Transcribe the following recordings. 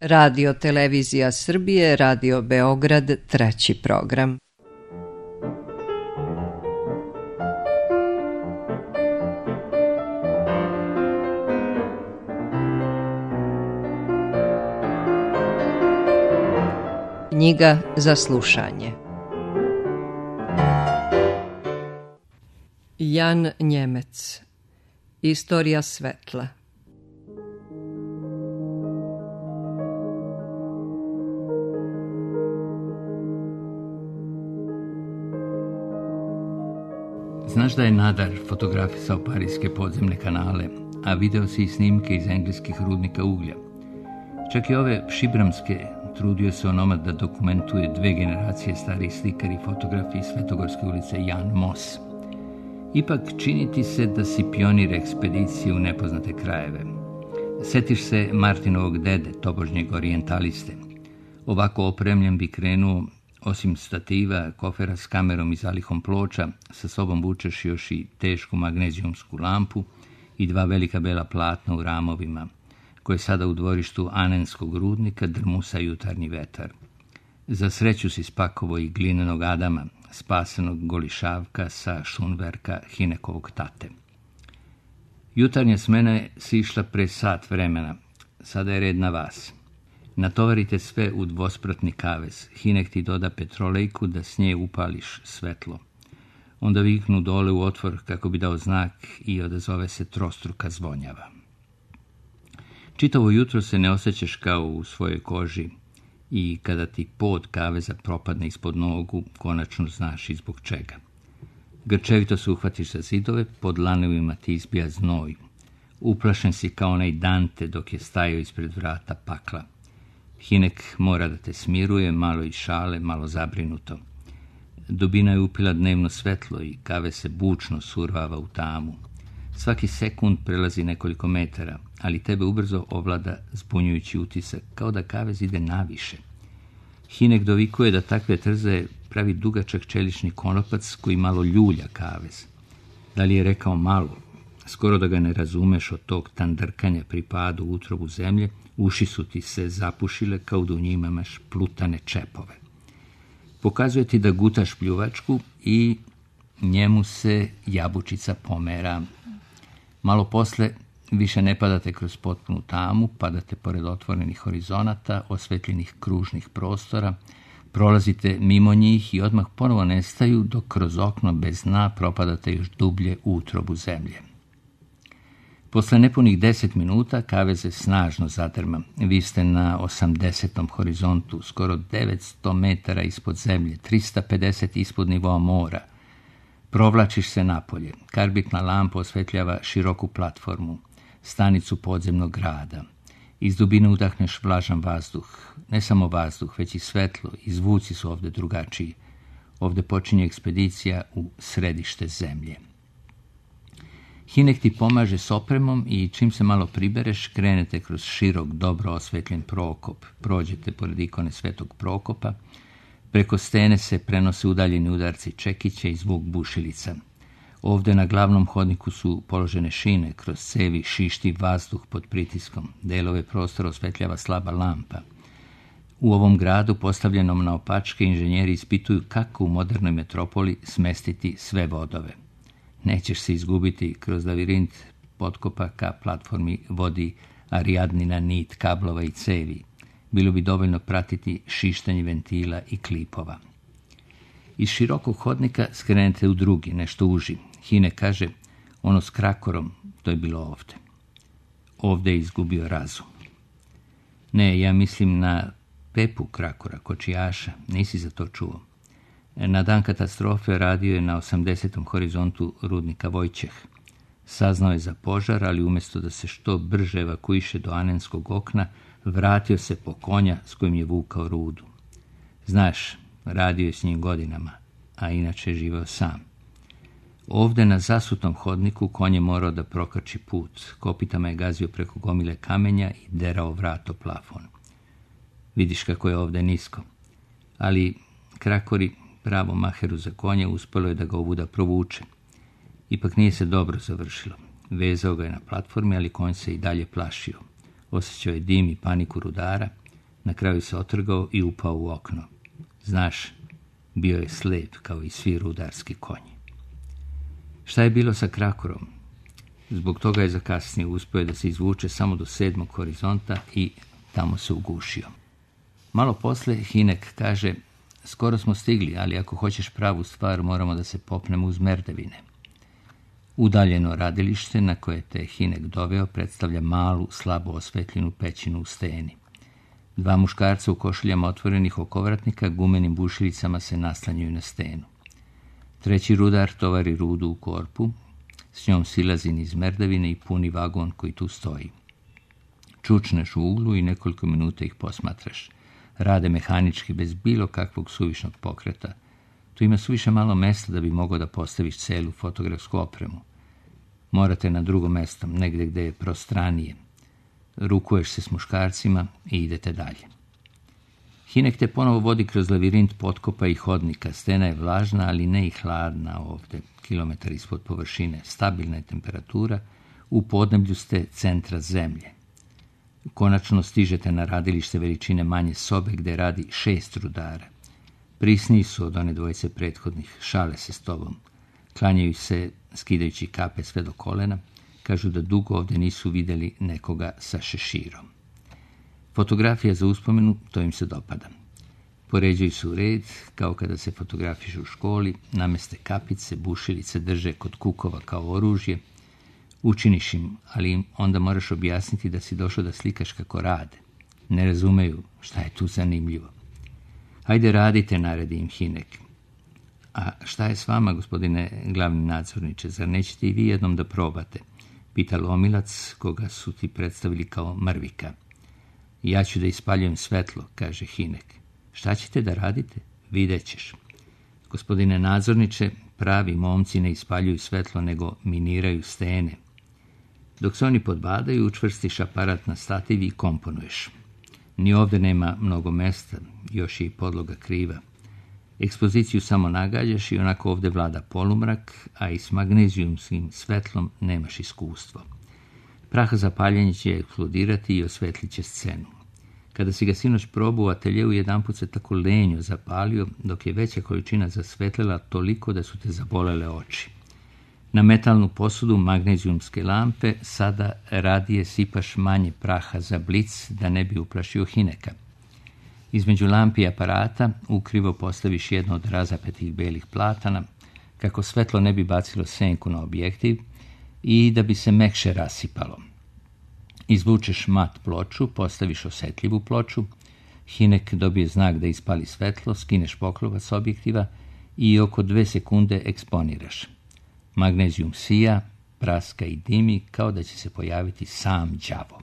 Radio Televizija Srbije, Radio Beograd, treći program. Knjiga za slušanje. Jan Njemec. Istorija svetla. Znaš da je Nadar fotografisao parijske podzemne kanale, a video si i snimke iz engleskih rudnika uglja. Čak i ove šibramske trudio se onomad da dokumentuje 2 generacije starih slikari i fotografi iz Svetogorske ulice Jan Mos. Ipak čini ti se da si pionir ekspedicije u nepoznate krajeve. Setiš se Martinovog dede, tobožnjeg orijentaliste. Ovako opremljen bi krenuo, osim stativa, kofera s kamerom i zalihom ploča, sa sobom vučeš još i tešku magnezijumsku lampu i 2 velika bela platna u ramovima, koje sada u dvorištu Anenskog rudnika drmusa jutarnji vetar. Za sreću si spakovo i glinenog Adama, spasenog golišavka sa šunverka Hinekovog tate. Jutarnja smena je sišla pre sat vremena, sada je red na vas. Natovarite sve u dvospratni kavez, Hinek ti doda petrolejku da s nje upališ svetlo. Onda viknu dole u otvor kako bi dao znak i odazove se trostruka zvonjava. Čitavo jutro se ne osjećaš kao u svojoj koži i kada ti pod kaveza propadne ispod nogu, konačno znaš i zbog čega. Grčevito se uhvatiš za zidove, pod lanovima ti izbija znoj. Uplašen si kao onaj Dante dok je stajao ispred vrata pakla. Hinek mora da te smiruje, malo iz šale, malo zabrinuto. Dubina je upila dnevno svetlo i kave se bučno survava u tamu. Svaki sekund prelazi nekoliko metara, ali tebe ubrzo ovlada zbunjujući utisak, kao da kavez ide naviše. Hinek dovikuje da takve trze pravi dugačak čelični konopac koji malo ljulja kavez. Da li je rekao malo? Skoro da ga ne razumeš od tog tandrkanja pri padu u utrobu zemlje, uši su ti se zapušile kao da u njima imaš plutane čepove. Pokazuje ti da gutaš pljuvačku i njemu se jabučica pomera. Malo posle više ne padate kroz potpunu tamu, padate pored otvorenih horizonata, osvetljenih kružnih prostora, prolazite mimo njih i odmah ponovo nestaju dok kroz okno bez dna propadate još dublje u utrobu zemlje. Posle nepunih 10 minuta kavez se snažno zadrma. Vi ste na 80. horizontu, skoro 900 metara ispod zemlje, 350 ispod nivoa mora. Provlačiš se napolje. Karbitna lampa osvetljava široku platformu, stanicu podzemnog grada. Iz dubine udahneš vlažan vazduh. Ne samo vazduh, već i svetlo, i zvuci su ovde drugačiji. Ovde počinje ekspedicija u središte zemlje. Hinek ti pomaže s opremom i čim se malo pribereš, krenete kroz širok, dobro osvetljen prokop. Prođete pored ikone Svetog Prokopa. Preko stene se prenose udaljeni udarci čekića i zvuk bušilica. Ovde na glavnom hodniku su položene šine, kroz cevi šišti vazduh pod pritiskom. Delove prostora osvetljava slaba lampa. U ovom gradu, postavljenom na opačke, inženjeri ispituju kako u modernoj metropoli smestiti sve vodove. Nećeš se izgubiti, kroz lavirint potkopa ka platformi vodi Arijadnina nit kablova i cevi. Bilo bi dovoljno pratiti šištanje ventila i klipova. Iz širokog hodnika skrenete u drugi, nešto uži. Hinek kaže, ono s krakorom, to je bilo ovde. Ovde je izgubio razum. Ne, ja mislim na Pepu Krakora, kočijaša, nisi za to čuo. Na dan katastrofe radio je na 80. horizontu rudnika Vojčeh. Saznao je za požar, ali umjesto da se što brže evakuiše do Anenskog okna, vratio se po konja s kojim je vukao rudu. Znaš, radio je s njim godinama, a inače je živeo sam. Ovde na zasutom hodniku konj je morao da prokači put. Kopitama je gazio preko gomile kamenja i derao vrat o plafon. Vidiš kako je ovde nisko. Ali Krakori, pravo maheru za konja, uspelo je da ga ovuda provuče. Ipak nije se dobro završilo. Vezao ga je na platformi, ali konj se i dalje plašio. Osjećao je dim i paniku rudara. Na kraju se otrgao i upao u okno. Znaš, bio je slep kao i svi rudarski konji. Šta je bilo sa krakorom? Zbog toga je zakasnije, uspio da se izvuče samo do 7. horizonta i tamo se ugušio. Malo posle Hinek kaže: skoro smo stigli, ali ako hoćeš pravu stvar, moramo da se popnemo uz merdevine. Udaljeno radilište na koje te Hinek doveo predstavlja malu, slabo osvetljenu pećinu u steni. 2 muškarca u košuljama otvorenih okovratnika gumenim bušilicama se naslanjaju na stenu. 3. rudar tovari rudu u korpu, s njom silazi niz merdevine i puni vagon koji tu stoji. Čučneš u uglu i nekoliko minuta ih posmatraš. Rade mehanički, bez bilo kakvog suvišnog pokreta. Tu ima suviše malo mesta da bi mogao da postaviš celu fotografsku opremu. Morate na drugo mesto, negde gde je prostranije. Rukuješ se s muškarcima i idete dalje. Hinek te ponovo vodi kroz lavirint potkopa i hodnika. Stena je vlažna, ali ne i hladna ovde. Kilometar ispod površine. Stabilna je temperatura. U podneblju ste centra zemlje. Konačno stižete na radilište veličine manje sobe gde radi 6 rudara. Prisniji su od one dvojice prethodnih. Šale se s tobom. Klanjaju se skidajući kape sve do kolena. Kažu da dugo ovde nisu videli nekoga sa šeširom. Fotografija za uspomenu, to im se dopada. Poređuju se u red, kao kada se fotografišu u školi, nameste kapice, bušilice drže kod kukova kao oružje. Učiniš im, ali im onda moraš objasniti da si došao da slikaš kako rade. Ne razumeju šta je tu zanimljivo. Hajde radite, naredi im Hinek. A šta je s vama, gospodine glavni nadzorniče, zar nećete i vi jednom da probate? Pita Lomilac, koga su ti predstavili kao mrvika. Ja ću da ispaljujem svetlo, kaže Hinek. Šta ćete da radite? Vidjet ćeš. Gospodine nadzorniče, pravi momci ne ispaljuju svetlo, nego miniraju stene. Dok se oni podbadaju, učvrstiš aparat na stativ i komponuješ. Ni ovde nema mnogo mesta, još je i podloga kriva. Ekspoziciju samo nagađaš i onako ovde vlada polumrak, a i s magnezijumskim svetlom nemaš iskustvo. Prah za paljenje će eksplodirati i osvetlit će scenu. Kada si ga sinoć probao u ateljeu, jedanput se tako lenjo zapalio, dok je veća količina zasvetlila toliko da su te zabolele oči. Na metalnu posudu magnezijumske lampe sada radije sipaš manje praha za blic da ne bi uplašio Hineka. Između lampi i aparata ukrivo postaviš jedno od razapetih belih platana, kako svetlo ne bi bacilo senku na objektiv i da bi se mekše rasipalo. Izvučeš mat ploču, postaviš osetljivu ploču, Hinek dobije znak da ispali svetlo, skineš poklopac objektiva i oko 2 sekunde eksponiraš. Magnezijum sija, praska i dimi kao da će se pojaviti sam đavo.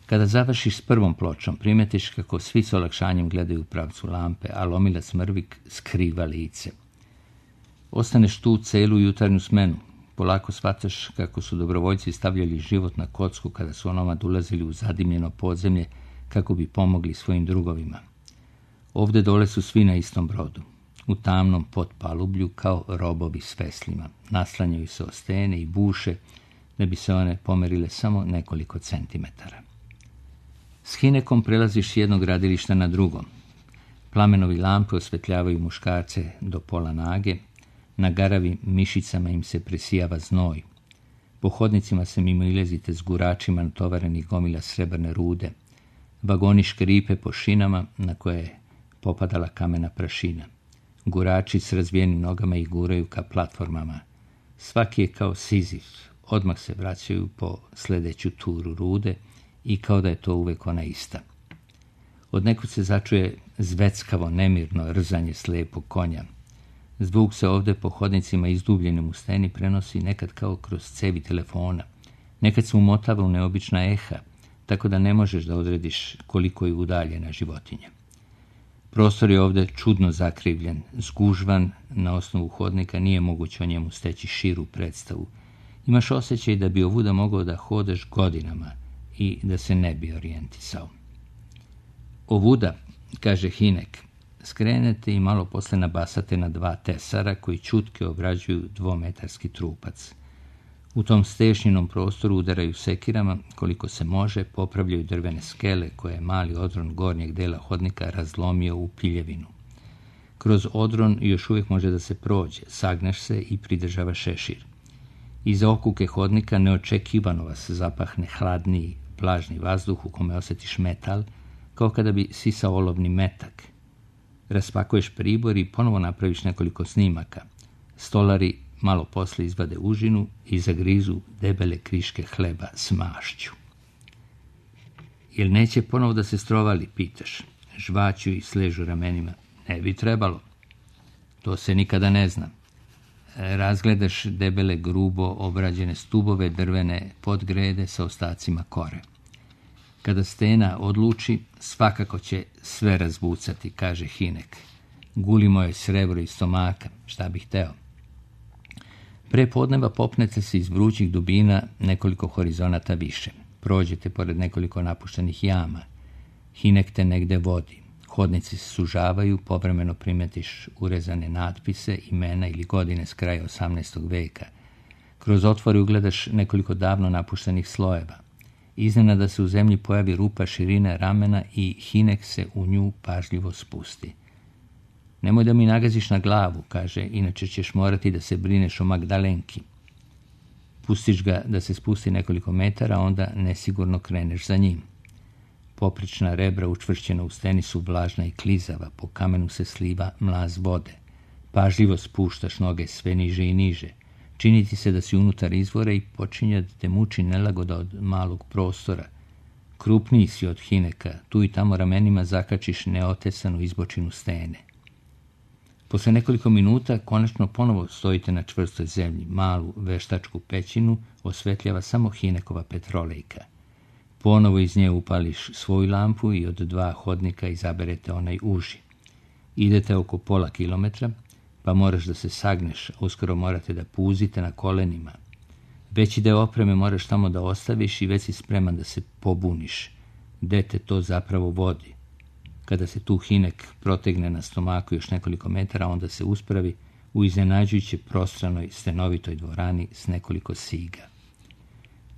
Kada završiš s prvom pločom, primetiš kako svi s olakšanjem gledaju u pravcu lampe, a Lomilac mrvik skriva lice. Ostaneš tu celu jutarnju smenu. Polako shvataš kako su dobrovoljci stavljali život na kocku kada su onomad ulazili u zadimljeno podzemlje kako bi pomogli svojim drugovima. Ovde dole su svi na istom brodu. U tamnom potpalublju kao robovi s veslima. Naslanjaju se o stene i buše da bi se one pomerile samo nekoliko centimetara. S Hinekom prelaziš s jednog gradilišta na drugo. Plamenovi lampe osvetljavaju muškarce do pola nage, na garavim mišicama im se presijava znoj. Po hodnicima se mimo ilazite s guračima natovarenih gomila srebrne rude. Vagoni škripe po šinama na koje je popadala kamena prašina. Gurači s razvijenim nogama ih guraju ka platformama. Svaki je kao Sizif, odmah se vraćaju po sledeću turu rude i kao da je to uvek ona ista. Od nekud se začuje zveckavo, nemirno rzanje slepog konja. Zvuk se ovde po hodnicima izdubljenim u steni prenosi nekad kao kroz cevi telefona. Nekad se umotava u neobična eha, tako da ne možeš da odrediš koliko je udaljena životinja. Prostor je ovde čudno zakrivljen, zgužvan, na osnovu hodnika nije moguće o njemu steći širu predstavu. Imaš osjećaj da bi ovuda mogao da hodaš godinama i da se ne bi orijentisao. Ovuda, kaže Hinek, skrenete i malo posle nabasate na 2 tesara koji čutke obrađuju 2-metarski trupac. U tom stešnjenom prostoru udaraju sekirama koliko se može, popravljaju drvene skele koje je mali odron gornjeg dela hodnika razlomio u piljevinu. Kroz odron još uvijek može da se prođe, sagneš se i pridržava šešir. Iza okuke hodnika neočekivano vas zapahne hladniji, vlažni vazduh u kome osjetiš metal, kao kada bi sisao olovni metak. Raspakuješ pribor i ponovo napraviš nekoliko snimaka. Stolari malo posle izvade užinu i zagrizu debele kriške hleba s mašću. Jel neće ponovo da se strovali, pitaš. Žvaću i sležu ramenima. Ne bi trebalo. To se nikada ne zna. Razgledaš debele, grubo obrađene stubove drvene podgrede sa ostacima kore. Kada stena odluči, svakako će sve razbucati, kaže Hinek. Gulimo je srebro iz stomaka, šta bih hteo. Pre podneva popnete se iz vrućih dubina nekoliko horizonata više. Prođete pored nekoliko napuštenih jama. Hinek te negde vodi. Hodnici se sužavaju, povremeno primetiš urezane natpise, imena ili godine s kraja 18. veka. Kroz otvore ugledaš nekoliko davno napuštenih slojeva. Iznenada se u zemlji pojavi rupa širine ramena i Hinek se u nju pažljivo spusti. Nemoj da mi nagaziš na glavu, kaže, inače ćeš morati da se brineš o Magdalenki. Pustiš ga da se spusti nekoliko metara, onda nesigurno kreneš za njim. Poprična rebra učvršćena u steni su vlažna i klizava, po kamenu se sliva mlaz vode. Pažljivo spuštaš noge sve niže i niže. Čini ti se da si unutar izvora i počinje da te muči nelagoda od malog prostora. Krupniji si od Hineka, tu i tamo ramenima zakačiš neotesanu izbočinu stene. Posle nekoliko minuta konačno ponovo stojite na čvrstoj zemlji. Malu veštačku pećinu osvetljava samo Hinekova petrolejka. Ponovo iz nje upališ svoju lampu i od 2 hodnika izaberete onaj uži. Idete oko pola kilometra, pa moraš da se sagneš, a uskoro morate da puzite na kolenima. Veći deo opreme moraš tamo da ostaviš i već si spreman da se pobuniš. Gde te to zapravo vodi? Kada se tu Hinek protegne na stomaku još nekoliko metara, onda se uspravi u iznenađujuće prostranoj stenovitoj dvorani s nekoliko siga.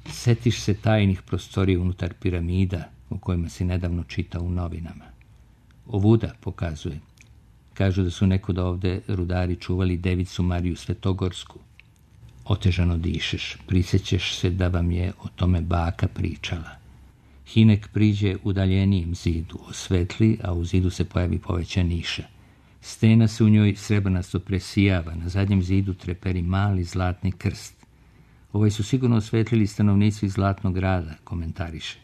Setiš se tajnih prostorija unutar piramida o kojima si nedavno čitao u novinama. Ovuda pokazuje. Kažu da su nekoda ovde rudari čuvali devicu Mariju Svetogorsku. Otežano dišeš, prisjećeš se da vam je o tome baka pričala. Hinek priđe udaljenijem zidu, osvetli, a u zidu se pojavi poveća niša. Stena se u njoj srebrnasto presijava, na zadnjem zidu treperi mali zlatni krst. Ovaj su sigurno osvetlili stanovnici Zlatnog grada, komentariše.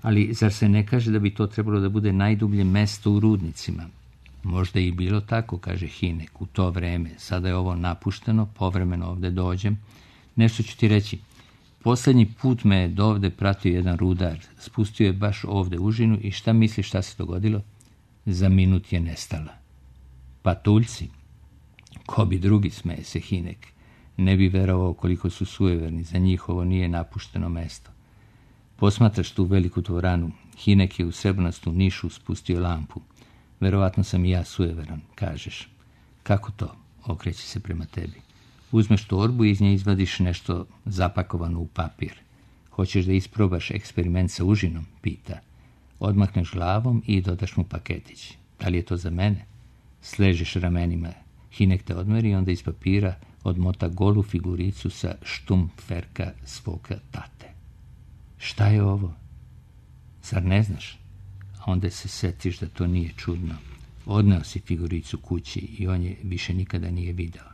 Ali zar se ne kaže da bi to trebalo da bude najdublje mesto u rudnicima? Možda i bilo tako, kaže Hinek, u to vreme. Sada je ovo napušteno, povremeno ovde dođem. Nešto ću ti reći. Posljednji put me je dovde pratio jedan rudar. Spustio je baš ovde užinu i šta misliš šta se dogodilo? Za minut je nestala. Patuljci? Ko bi drugi, smeje se Hinek. Ne bi verovao koliko su sujeverni. Za njih ovo nije napušteno mesto. Posmatraš tu veliku dvoranu. Hinek je u srebrnastu nišu spustio lampu. Verovatno sam i ja sujeveran, kažeš. Kako to? Okreće se prema tebi. Uzmeš torbu i iz nje izvadiš nešto zapakovano u papir. Hoćeš da isprobaš eksperiment sa užinom? Pita. Odmakneš glavom i dodaš mu paketić. Da li je to za mene? Sležeš ramenima. Hinek te odmeri i onda iz papira odmota golu figuricu sa štumpferka svoga tate. Šta je ovo? Zar ne znaš? A onda se setiš da to nije čudno. Odneo si figuricu kući i on je više nikada nije video.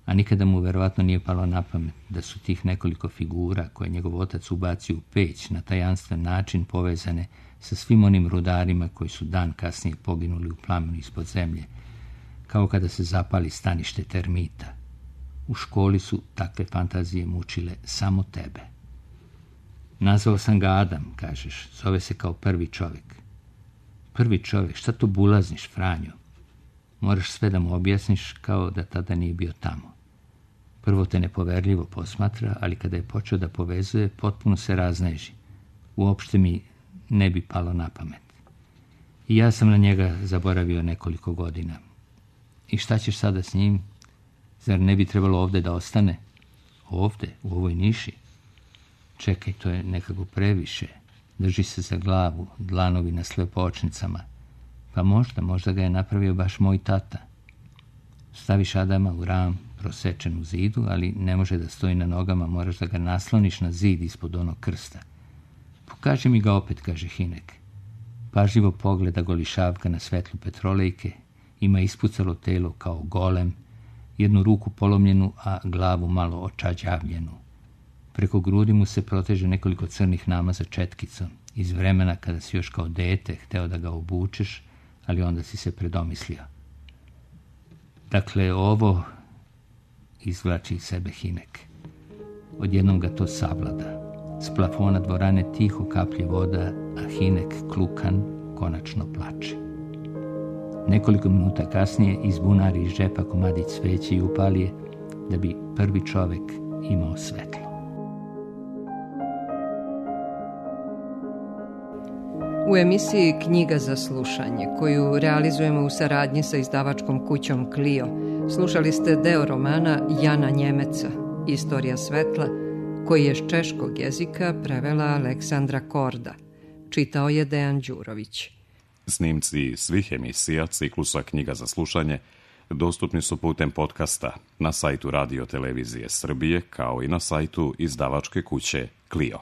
A nikada mu verovatno nije palo na pamet da su tih nekoliko figura koje njegov otac ubacio u peć na tajanstven način povezane sa svim onim rudarima koji su dan kasnije poginuli u plamenu ispod zemlje, kao kada se zapali stanište termita. U školi su takve fantazije mučile samo tebe. Nazvao sam ga Adam, kažeš, zove se kao prvi čovjek. Prvi čovjek, šta to bulazniš, Franjo? Moraš sve da mu objasniš kao da tada nije bio tamo. Prvo te nepoverljivo posmatra, ali kada je počeo da povezuje, potpuno se razneži. Uopšte mi ne bi palo na pamet. I ja sam na njega zaboravio nekoliko godina. I šta ćeš sada s njim? Zar ne bi trebalo ovde da ostane? Ovde, u ovoj niši? Čekaj, to je nekako previše. Drži se za glavu, dlanovi na slepočnicama. Pa možda ga je napravio baš moj tata. Staviš Adama u ram, prosečen u zidu, ali ne može da stoji na nogama, moraš da ga nasloniš na zid ispod onog krsta. Pokaži mi ga opet, kaže Hinek. Pažljivo pogleda golišavka na svetlu petrolejke, ima ispucalo telo kao golem, jednu ruku polomljenu, a glavu malo očađavljenu. Preko grudi mu se proteže nekoliko crnih namaza četkicom, iz vremena kada si još kao dete hteo da ga obučeš, ali onda si se predomislio. Dakle, ovo izvlači iz sebe Hinek. Odjednom ga to savlada. S plafona dvorane tiho kaplje voda, a Hinek, klukan, konačno plače. Nekoliko minuta kasnije izbunari iz džepa komadić sveće i upali je, da bi prvi čovek imao svetlo. U emisiji Knjiga za slušanje, koju realizujemo u saradnji sa izdavačkom kućom Clio, slušali ste deo romana Jana Njemeca, Istorija svetla, koji je s češkog jezika prevela Aleksandra Korda. Čitao je Dejan Đurović. Snimci svih emisija ciklusa Knjiga za slušanje dostupni su putem podcasta na sajtu Radio Televizije Srbije, kao i na sajtu izdavačke kuće Clio.